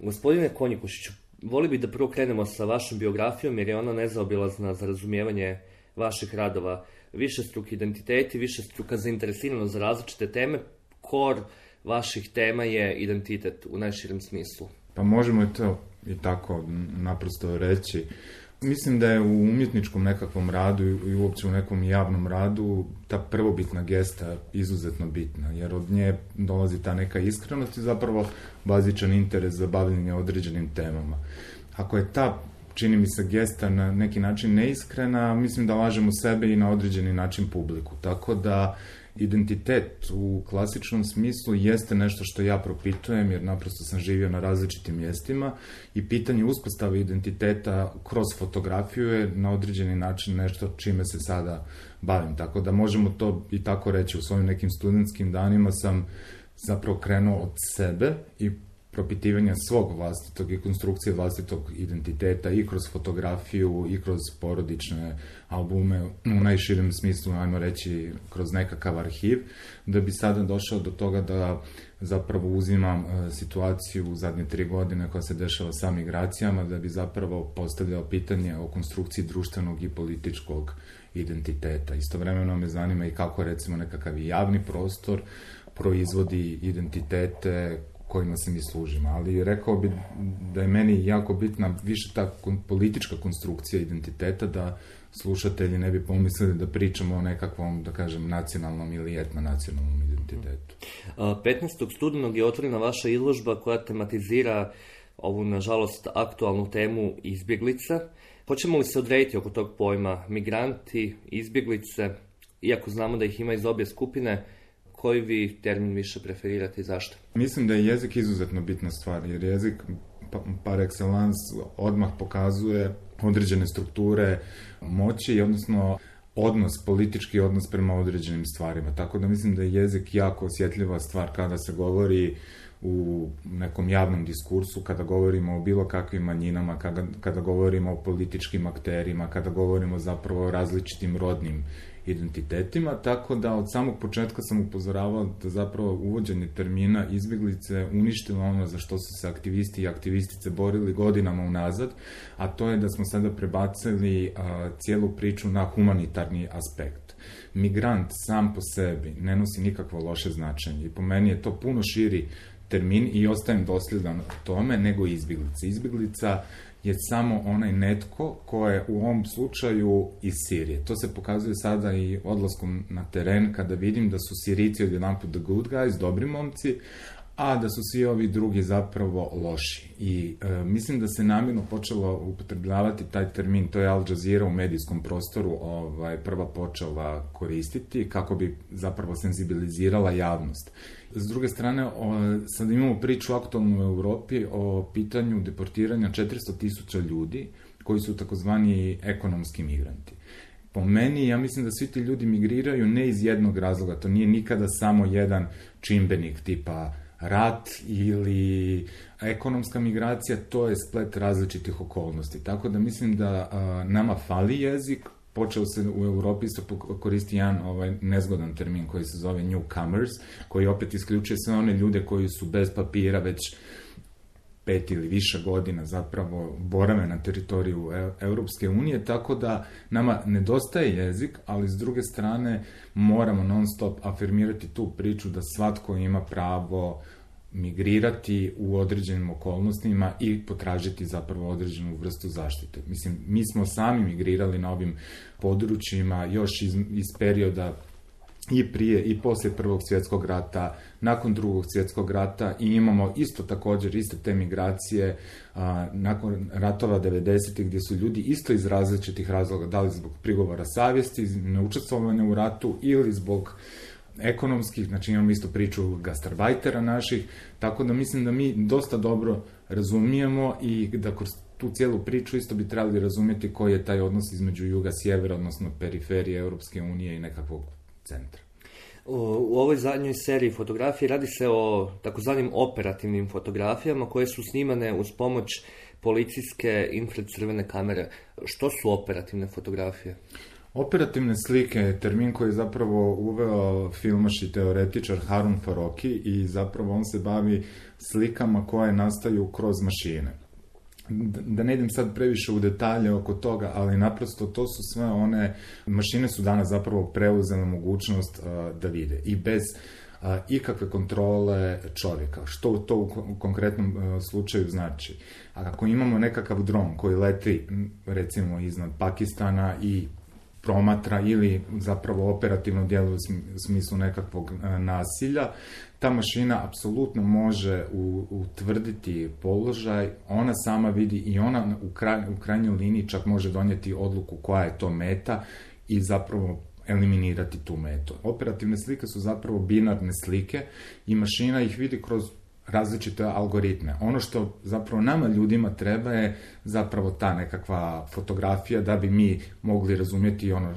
Gospodine Konjikušiću, voli bi da prvo krenemo sa vašom biografijom jer je ona nezaobilazna za razumijevanje vaših radova. Višestruki identiteti, višestruka zainteresiranost za različite teme. Kor vaših tema je identitet u najširem smislu. Pa možemo to i tako naprosto reći. Mislim da je u umjetničkom nekakvom radu i uopće u nekom javnom radu ta prvobitna gesta izuzetno bitna, jer od nje dolazi ta neka iskrenost i zapravo bazičan interes za bavljenje određenim temama. Ako je ta, čini mi se, gesta na neki način neiskrena, mislim da lažemo sebe i na određeni način publiku. Tako da identitet u klasičnom smislu jeste nešto što ja propitujem, jer naprosto sam živio na različitim mjestima i pitanje uspostave identiteta kroz fotografiju je na određeni način nešto čime se sada bavim. Tako da možemo to i tako reći. U svojim nekim studentskim danima sam zapravo krenuo od sebe i propitivanja svog vlastitog i konstrukcije vlastitog identiteta i kroz fotografiju i kroz porodične albume, u najširem smislu, ajmo reći, kroz nekakav arhiv, da bi sada došao do toga da zapravo uzimam situaciju u zadnje 3 godine koja se dešava sa migracijama, da bi zapravo postavljao pitanje o konstrukciji društvenog i političkog identiteta. Istovremeno me zanima i kako, recimo, nekakav javni prostor proizvodi identitete kojima se mi služimo, ali rekao bi da je meni jako bitna više ta politička konstrukcija identiteta, da slušatelji ne bi pomislili da pričamo o nekakvom, da kažem, nacionalnom ili etnonacionalnom identitetu. 15. studenog je otvorena vaša izložba koja tematizira ovu, nažalost, aktualnu temu izbjeglica. Hoćemo li se odrediti oko tog pojma migranti, izbjeglice, iako znamo da ih ima iz obje skupine? Koji vi termin više preferirate i zašto? Mislim da je jezik izuzetno bitna stvar, jer jezik par excellence odmah pokazuje određene strukture moći, odnosno politički odnos prema određenim stvarima. Tako da mislim da je jezik jako osjetljiva stvar kada se govori u nekom javnom diskursu, kada govorimo o bilo kakvim manjinama, kada govorimo o političkim akterima, kada govorimo zapravo o različitim rodnim identitetima, tako da od samog početka sam upozoravao da zapravo uvođenje termina izbjeglice uništilo ono za što su se aktivisti i aktivistice borili godinama unazad, a to je da smo sada prebacili cijelu priču na humanitarni aspekt. Migrant sam po sebi ne nosi nikakvo loše značenje i po meni je to puno širi termin i ostajem dosljedan tome nego izbjeglica. Izbjeglica je samo onaj netko ko je u ovom slučaju iz Sirije. To se pokazuje sada i odlaskom na teren kada vidim da su Sirijci odjedanput the good guys, dobri momci, a da su svi ovi drugi zapravo loši. I mislim da se namjerno počelo upotrebljavati taj termin, to je Al Jazeera u medijskom prostoru prva počela koristiti kako bi zapravo senzibilizirala javnost. S druge strane, sad imamo priču aktualnu u Europi o pitanju deportiranja 400.000 ljudi koji su takozvani ekonomski migranti. Po meni, ja mislim da svi ti ljudi migriraju ne iz jednog razloga, to nije nikada samo jedan čimbenik tipa rat ili ekonomska migracija, to je splet različitih okolnosti. Tako da mislim da nama fali jezik. Počeo se u Europi isto koristi jedan nezgodan termin koji se zove newcomers, koji opet isključuje sve one ljude koji su bez papira već 5 ili više godina zapravo borave na teritoriju Europske unije, tako da nama nedostaje jezik, ali s druge strane moramo non stop afirmirati tu priču da svatko ima pravo migrirati u određenim okolnostima i potražiti zapravo određenu vrstu zaštite. Mislim, mi smo sami migrirali na ovim područjima još iz perioda i prije i poslije Prvog svjetskog rata, nakon Drugog svjetskog rata i imamo isto također iste te migracije nakon ratova 90-ih gdje su ljudi isto iz različitih razloga, da li zbog prigovora savjesti, neučestvovanja u ratu ili zbog ekonomskih, znači imamo isto priču gastarbajtera naših, tako da mislim da mi dosta dobro razumijemo i da kroz tu cijelu priču isto bi trebali razumjeti koji je taj odnos između juga-sjevera, odnosno periferije Europske unije i nekakvog centra. U ovoj zadnjoj seriji fotografije radi se o takozvanim operativnim fotografijama koje su snimane uz pomoć policijske infracrvene kamere. Što su operativne fotografije? Operativne slike je termin koji je zapravo uveo filmaš i teoretičar Harun Farokhi i zapravo on se bavi slikama koje nastaju kroz mašine. Da ne idem sad previše u detalje oko toga, ali naprosto to su sve one, mašine su danas zapravo preuzele mogućnost da vide i bez ikakve kontrole čovjeka. Što to u konkretnom slučaju znači? Ako imamo nekakav dron koji leti recimo iznad Pakistana i promatra ili zapravo operativno djeluje u smislu nekakvog nasilja, ta mašina apsolutno može utvrditi položaj, ona sama vidi i ona u krajnjoj liniji čak može donijeti odluku koja je to meta i zapravo eliminirati tu metu. Operativne slike su zapravo binarne slike i mašina ih vidi kroz različite algoritme. Ono što zapravo nama ljudima treba je zapravo ta nekakva fotografija da bi mi mogli razumjeti ono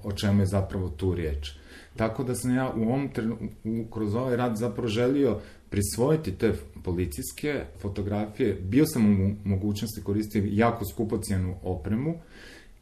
o čemu je zapravo tu riječ. Tako da sam ja kroz ovaj rad zapravo želio prisvojiti te policijske fotografije. Bio sam u mogućnosti koristiti jako skupocjenu opremu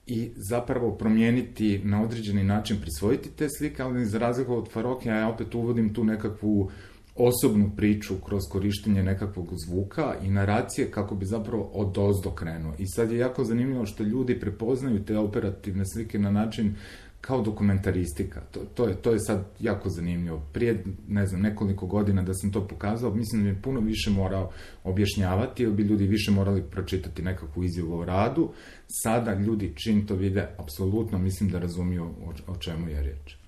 i zapravo promijeniti na određeni način, prisvojiti te slike, ali za razliku od Farokhija ja opet uvodim tu nekakvu osobnu priču kroz korištenje nekakvog zvuka i naracije kako bi zapravo odozdo krenuo. I sad je jako zanimljivo što ljudi prepoznaju te operativne slike na način kao dokumentaristika. To je sad jako zanimljivo. Prije, nekoliko godina da sam to pokazao, mislim da je puno više morao objašnjavati, jer bi ljudi više morali pročitati nekakvu izjavu o radu. Sada ljudi čim to vide, apsolutno mislim da razumiju o čemu je riječ.